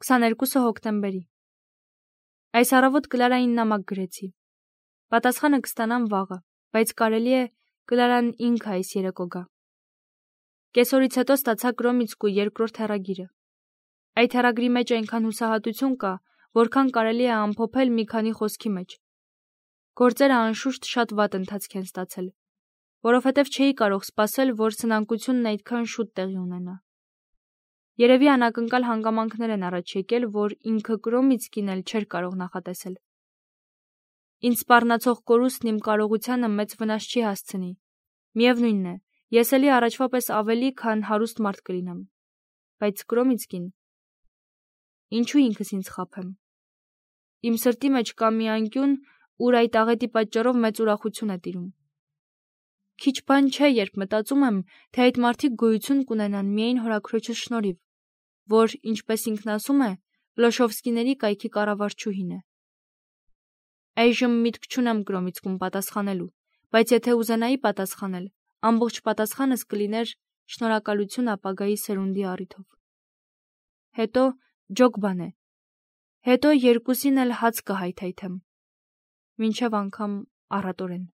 22 հոկտեմբերի։ Այս առավոտ Կլարային նամակ գրեցի։ Պատասխանը կստանամ վաղը, բայց կարելի է Կլարան ինքը այս երեկո գա։ Կեսօրից հետո ստացա Կրոմիցկու երկրորդ հեռագիրը։ Այդ հեռագրի մեջ այնքան հուսահատություն կա, որքան կարելի է ամփոփել մի քանի խոսքի մեջ։ Գործերը անշուշտ շատ վատ ընթացք են ստացել, որովհետև չէի կարող սպասել, որ սնանկությունն այդքան շուտ տեղի ունենա։ Երևի անակնկալ հանգամանքներ են առաջ եկել, որ ինքը Կրոմիցկին էլ չէր կարող նախատեսել։ Ինձ սպառնացող կորուստն իմ կարողությանը մեծ վնաս չի հասցնի։ Միևնույնն է, ես էլի առաջվա պես ավելի, քան հարուստ մարդ կլինեմ։ Բայց Կրոմիցկին… Ինչու ինքս ինձ խաբեմ։ Իմ սրտի մեջ կա մի անկյուն, ուր այդ աղետի պատճառով մեծ ուրախություն է տիրում։ Քիչ բան չէ, երբ մտածում եմ, թե այդ մարդիկ գոյություն կունենան միայն հորաքրոջս շնորհիվ, որ, ինչպես ինքն ասում է, Լոշովսկիների կայքի կառավարչուհին է։ Այժմ միտք չունեմ Կրոմիցկուն պատասխանելու, բայց եթե ուզենայի պատասխանել, ամբողջ պատասխանս կլիներ շնորհակալություն ապագայի սերունդի առիթով։ Հետո ջոկ բան է։ Հետո երկուսին էլ հաց կհայթայթեմ։ Մինչև անգամ առատորեն։